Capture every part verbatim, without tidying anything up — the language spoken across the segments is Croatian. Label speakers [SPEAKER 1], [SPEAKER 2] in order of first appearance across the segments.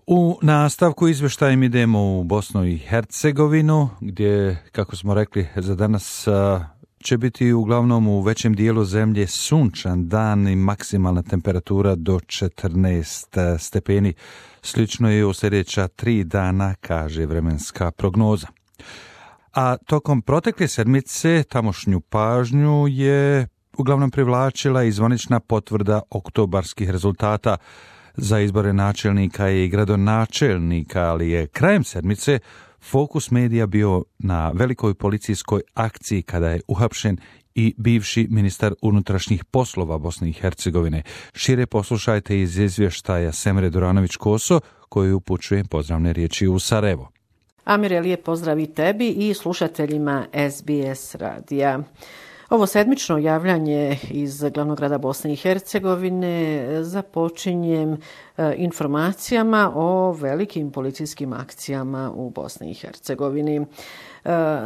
[SPEAKER 1] U nastavku izvještajem idemo u Bosnu i Hercegovinu, gdje, kako smo rekli, za danas će biti uglavnom u većem dijelu zemlje sunčan dan i maksimalna temperatura do četrnaest stepeni. Slično je u sljedeća tri dana, kaže vremenska prognoza. A tokom protekle sedmice tamošnju pažnju je uglavnom privlačila i zvanična potvrda oktobarskih rezultata za izbore načelnika i gradonačelnika, ali je krajem sedmice fokus medija bio na velikoj policijskoj akciji kada je uhapšen i bivši ministar unutrašnjih poslova Bosne i Hercegovine. Šire poslušajte iz izvještaja Semre Duranović-Koso, koju upućujem pozdravne riječi u Sarajevo.
[SPEAKER 2] Amire, lijep pozdrav i tebi i slušateljima S B S radija. Ovo sedmično javljanje iz glavnog grada Bosne i Hercegovine započinjem informacijama o velikim policijskim akcijama u Bosni i Hercegovini.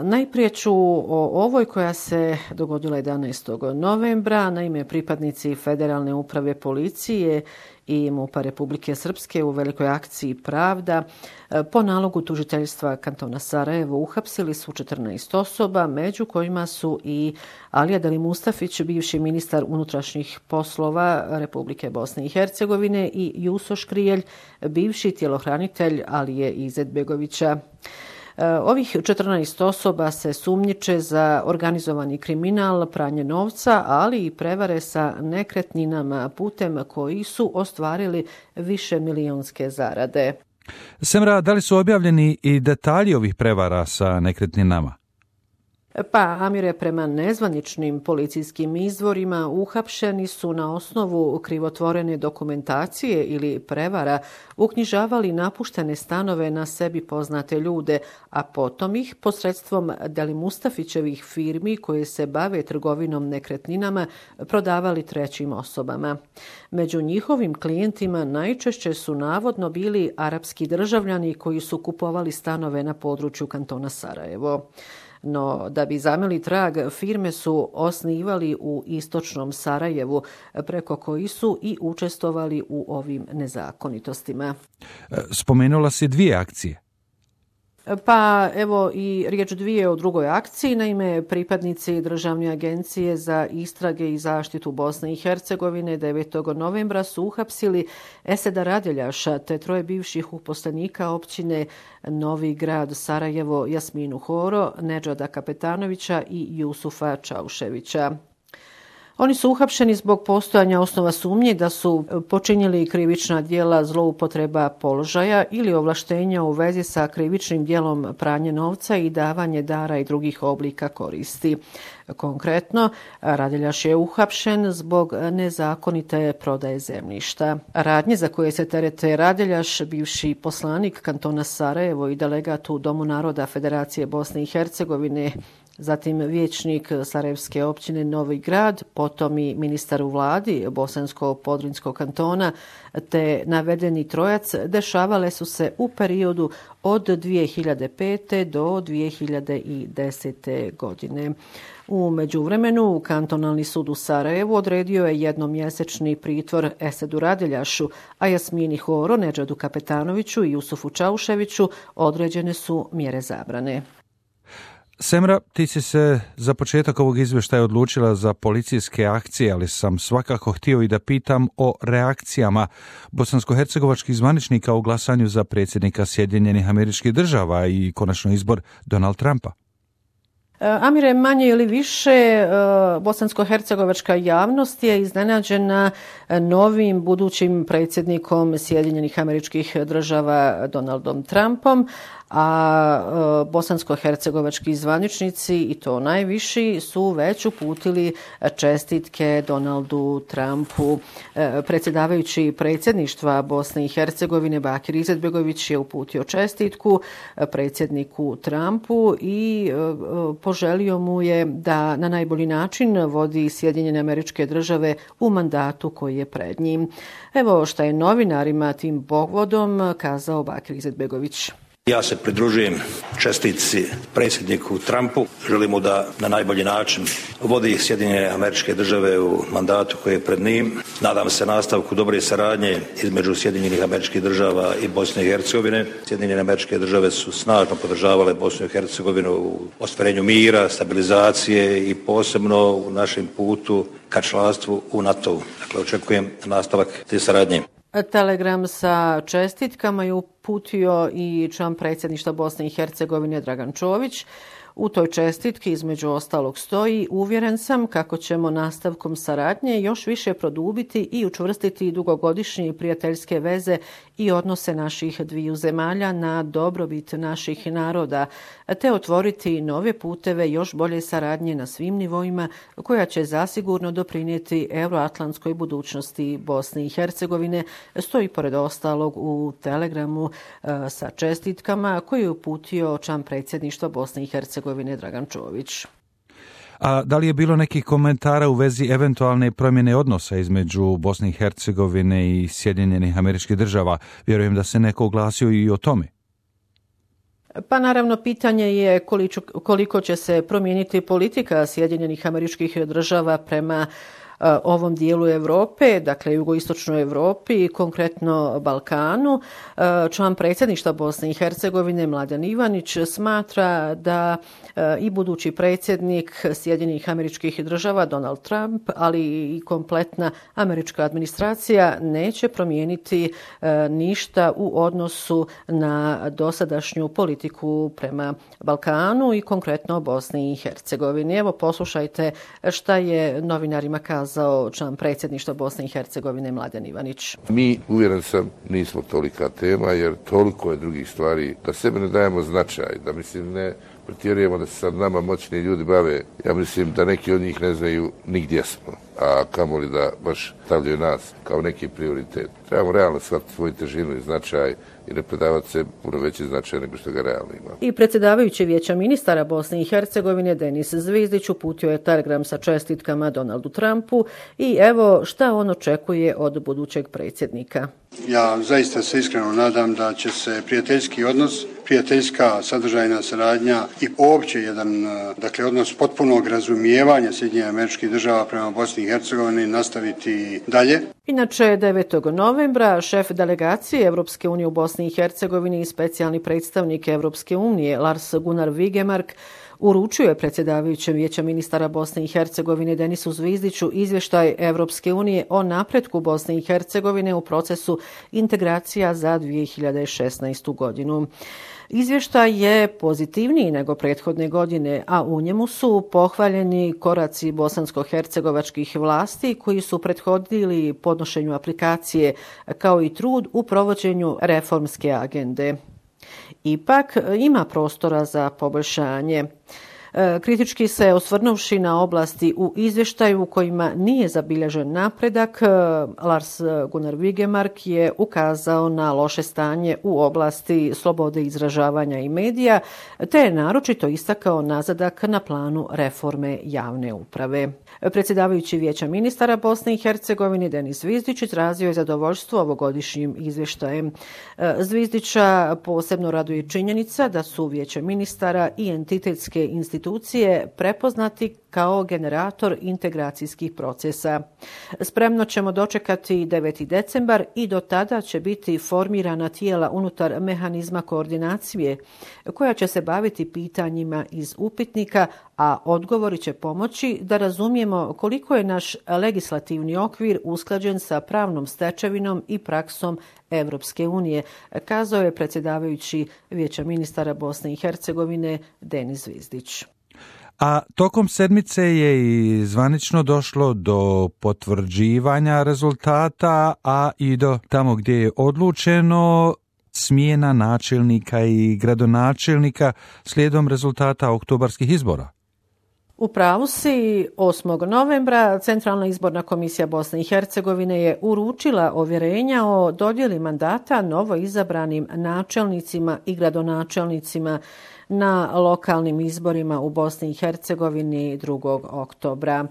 [SPEAKER 2] Najprije ću o ovoj koja se dogodila jedanaestog novembra. Naime, pripadnici Federalne uprave policije i MUP-a Republike Srpske u velikoj akciji Pravda po nalogu tužiteljstva kantona Sarajevo uhapsili su četrnaest osoba, među kojima su i Alija Delimustafić, bivši ministar unutrašnjih poslova Republike Bosne i Hercegovine, i Juso Škrijelj, bivši tjelohranitelj Alije Izetbegovića. Ovih četrnaest osoba se sumnjiče za organizovani kriminal, pranje novca, ali i prevare sa nekretninama putem koji su ostvarili više milionske zarade.
[SPEAKER 1] Semra, da li su objavljeni i detalji ovih prevara sa nekretninama?
[SPEAKER 2] Pa, Amire, prema nezvaničnim policijskim izvorima uhapšeni su na osnovu krivotvorene dokumentacije ili prevara uknjižavali napuštene stanove na sebi poznate ljude, a potom ih posredstvom Delimustafićevih firmi koje se bave trgovinom nekretninama prodavali trećim osobama. Među njihovim klijentima najčešće su navodno bili arapski državljani koji su kupovali stanove na području kantona Sarajevo. No, da bi zameli trag, firme su osnivali u istočnom Sarajevu, preko koji su i učestvovali u ovim nezakonitostima.
[SPEAKER 1] Spomenula si dvije akcije.
[SPEAKER 2] Pa evo i riječ dvije o drugoj akciji. Naime, pripadnici Državne agencije za istrage i zaštitu Bosne i Hercegovine devetog novembra su uhapsili Eseda Radeljaša te troje bivših uposlenika općine Novi Grad Sarajevo, Jasminu Horo, Nedžada Kapetanovića i Jusufa Čauševića. Oni su uhapšeni zbog postojanja osnova sumnje da su počinili krivična djela zloupotreba položaja ili ovlaštenja u vezi sa krivičnim djelom pranje novca i davanje dara i drugih oblika koristi. Konkretno, Radeljaš je uhapšen zbog nezakonite prodaje zemljišta. Radnje za koje se terete Radeljaš, bivši poslanik kantona Sarajevo i delegat u Domu naroda Federacije Bosne i Hercegovine, zatim vijećnik Sarajevske općine Novi Grad, potom i ministar u vladi Bosansko-Podrinjskog kantona, te navedeni trojac dešavale su se u periodu od dvije hiljade pete do dvije hiljade desete godine. U međuvremenu, kantonalni sud u Sarajevu odredio je jednomjesečni pritvor Esedu Radeljašu, a Jasmini Horo, Nedžadu Kapetanoviću i Jusufu Čauševiću određene su mjere zabrane.
[SPEAKER 1] Semra, ti si se za početak ovog izvještaja odlučila za policijske akcije, ali sam svakako htio i da pitam o reakcijama bosansko-hercegovačkih zvaničnika u glasanju za predsjednika Sjedinjenih Američkih Država i konačno izbor Donald Trumpa.
[SPEAKER 2] Amire, manje ili više, bosansko-hercegovačka javnost je iznenađena novim budućim predsjednikom Sjedinjenih Američkih Država Donaldom Trumpom, a bosansko-hercegovački zvaničnici, i to najviši, su već uputili čestitke Donaldu Trumpu. Predsjedavajući predsjedništva Bosne i Hercegovine Bakir Izetbegović je uputio čestitku predsjedniku Trumpu i poželio mu je da na najbolji način vodi Sjedinjene Američke Države u mandatu koji je pred njim. Evo šta je novinarima tim povodom kazao Bakir Izetbegović.
[SPEAKER 3] Ja se pridružujem čestitci predsjedniku Trumpu. Želimo da na najbolji način vodi Sjedinjene Američke Države u mandatu koji je pred njim. Nadam se nastavku dobre saradnje između Sjedinjenih Američkih Država i Bosne i Hercegovine. Sjedinjene Američke Države su snažno podržavale Bosnu i Hercegovinu u ostvarenju mira, stabilizacije i posebno u našem putu ka članstvu u NATO-u. Dakle, očekujem nastavak te saradnje.
[SPEAKER 2] Telegram sa čestitkama je uputio i član predsjedništva Bosne i Hercegovine Dragan Čović. U toj čestitki između ostalog stoji: uvjeren sam kako ćemo nastavkom saradnje još više produbiti i učvrstiti dugogodišnje prijateljske veze i odnose naših dviju zemalja na dobrobit naših naroda, te otvoriti nove puteve još bolje saradnje na svim nivoima koja će zasigurno doprinijeti euroatlantskoj budućnosti Bosne i Hercegovine, stoji pored ostalog u telegramu e, sa čestitkama koji je uputio član predsjedništva Bosne i Hercegovine Dragan Čović.
[SPEAKER 1] A da li je bilo nekih komentara u vezi eventualne promjene odnosa između Bosne i Hercegovine i Sjedinjenih Američkih Država? Vjerujem da se neko oglasio i o tome.
[SPEAKER 2] Pa naravno, pitanje je koliko, koliko će se promijeniti politika Sjedinjenih Američkih Država prema ovom dijelu Europe, dakle jugoistočnoj Europi i konkretno Balkanu. Član predsjedništva Bosne i Hercegovine Mladen Ivanić smatra da i budući predsjednik Sjedinjenih Američkih Država Donald Trump, ali i kompletna američka administracija neće promijeniti ništa u odnosu na dosadašnju politiku prema Balkanu i konkretno Bosni i Hercegovini. Evo, poslušajte šta je novinarima kazao član predsjedništva Bosne i Hercegovine Mladen Ivanić.
[SPEAKER 4] Mi, uvjeren sam, nismo tolika tema jer toliko je drugih stvari da sebi ne dajemo značaj, da mislim ne pretjerujemo da se sad nama moćni ljudi bave. Ja mislim da neki od njih ne znaju ni gdje smo, a kamoli da baš stavljaju nas kao neki prioritet. Trebamo realno shvatiti svoju težinu i značaj i ne predavati se puno veći značaj nego što ga realno ima.
[SPEAKER 2] I predsjedavajući Vijeća ministara Bosne i Hercegovine Denis Zvizdić uputio je telegram sa čestitkama Donaldu Trumpu i evo šta on očekuje od budućeg predsjednika.
[SPEAKER 5] Ja zaista se iskreno nadam da će se prijateljski odnos, prijateljska sadržajna saradnja i uopće jedan, dakle, odnos potpunog razumijevanja Sjedinjenih Američkih Država prema Bosni i Hercegovini nastaviti dalje.
[SPEAKER 2] Inače, devetog novembra šef delegacije Europske unije u Bosni i Hercegovini i specijalni predstavnik Europske unije Lars Gunnar Vigemark uručio je predsjedavajućem Vijeća ministara Bosne i Hercegovine Denisu Zvizdiću izvještaj Europske unije o napretku Bosne i Hercegovine u procesu integracija za dvije hiljade šesnaestu godinu. Izvještaj je pozitivniji nego prethodne godine, a u njemu su pohvaljeni koraci bosansko-hercegovačkih vlasti koji su prethodili podnošenju aplikacije, kao i trud u provođenju reformske agende. Ipak ima prostora za poboljšanje. Kritički se osvrnuvši na oblasti u izvještaju u kojima nije zabilježen napredak, Lars Gunnar Vigemark je ukazao na loše stanje u oblasti slobode izražavanja i medija, te je naročito istakao nazadak na planu reforme javne uprave. Predsjedavajući Vijeća ministara Bosne i Hercegovine Denis Zvizdić izrazio je zadovoljstvo ovogodišnjim izvještajem. Zvizdića posebno raduje činjenica da su Vijeće ministara i entitetske institucije prepoznati kao generator integracijskih procesa. Spremno ćemo dočekati deveti decembar i do tada će biti formirana tijela unutar mehanizma koordinacije koja će se baviti pitanjima iz upitnika, a odgovori će pomoći da razumijemo koliko je naš legislativni okvir usklađen sa pravnom stečevinom i praksom Europske unije, kazao je predsjedavajući Vijeća ministara Bosne i Hercegovine Denis Zvizdić.
[SPEAKER 1] A tokom sedmice je i zvanično došlo do potvrđivanja rezultata, a i do tamo gdje je odlučeno smjena načelnika i gradonačelnika slijedom rezultata oktobarskih izbora.
[SPEAKER 2] U pravu si, osmog novembra Centralna izborna komisija Bosne i Hercegovine je uručila ovjerenja o dodjeli mandata novo izabranim načelnicima i gradonačelnicima na lokalnim izborima u Bosni i Hercegovini drugog oktobra.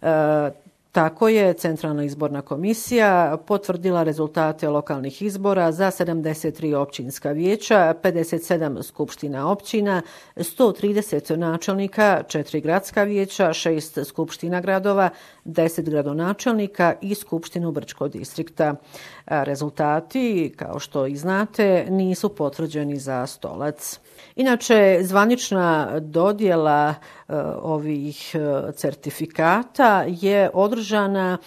[SPEAKER 2] E, Tako je Centralna izborna komisija potvrdila rezultate lokalnih izbora za sedamdeset tri općinska vijeća, pedeset sedam skupština općina, sto trideset načelnika, četiri gradska vijeća, šest skupština gradova, deset gradonačelnika i skupštinu Brčkog distrikta. Rezultati, kao što i znate, nisu potvrđeni za Stolac. Inače, zvanična dodjela e, ovih e, certifikata je održana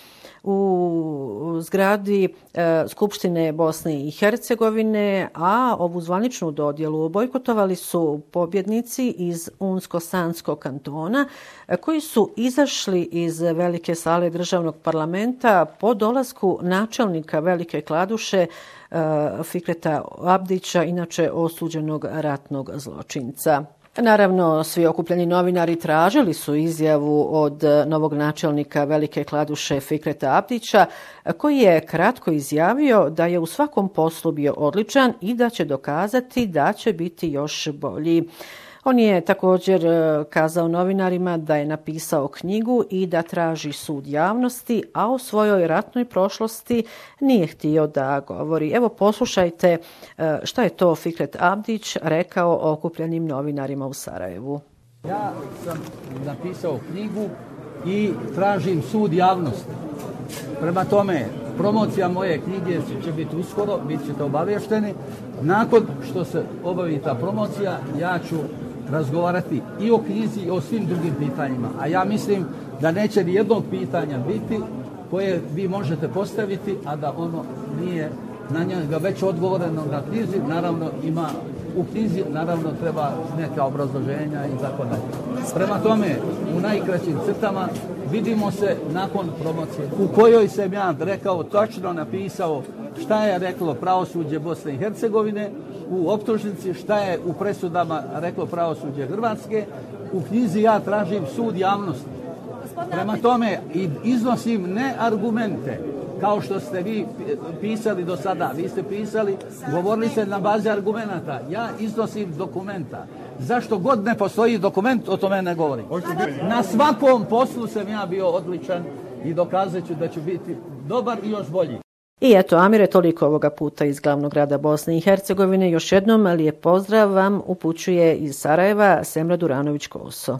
[SPEAKER 2] u zgradi e, Skupštine Bosne i Hercegovine, a ovu zvaničnu dodjelu bojkotovali su pobjednici iz Unsko-Sanskog kantona e, koji su izašli iz velike sale državnog parlamenta po dolasku načelnika Velike Kladuše e, Fikreta Abdića, inače osuđenog ratnog zločinca. Naravno, svi okupljeni novinari tražili su izjavu od novog načelnika Velike Kladuše Fikreta Abdića, koji je kratko izjavio da je u svakom poslu bio odličan i da će dokazati da će biti još bolji. On je također kazao novinarima da je napisao knjigu i da traži sud javnosti, a o svojoj ratnoj prošlosti nije htio da govori. Evo, poslušajte šta je to Fikret Abdić rekao okupljenim novinarima u Sarajevu.
[SPEAKER 6] Ja sam napisao knjigu i tražim sud javnosti. Prema tome, promocija moje knjige će biti uskoro, bit ćete obavješteni. Nakon što se obavi ta promocija, ja ću razgovarati i o knjizi i o svim drugim pitanjima. A ja mislim da neće ni jednog pitanja biti koje vi možete postaviti, a da ono nije na njega već odgovoreno na knjizi. Naravno ima u knjizi, naravno treba neka obrazloženja i tako dalje. Prema tome, u najkraćim crtama vidimo se nakon promocije u kojoj sam ja rekao, točno napisao šta je reklo pravosuđe Bosne i Hercegovine u optužnici, šta je u presudama reklo pravosuđe Hrvatske. U knjizi ja tražim sud javnosti. Prema tome iznosim ne argumente kao što ste vi pisali do sada. Vi ste pisali, govorili ste na bazi argumenata. Ja iznosim dokumenta. Zašto god ne postoji dokument, o tome ne govorim. Na svakom poslu sam ja bio odličan i dokazat ću da ću biti dobar i još bolji.
[SPEAKER 2] I eto, Amire, toliko ovoga puta iz glavnog grada Bosne i Hercegovine. Još jednom lijep pozdrav vam upućuje iz Sarajeva Semra Duranović-Koso.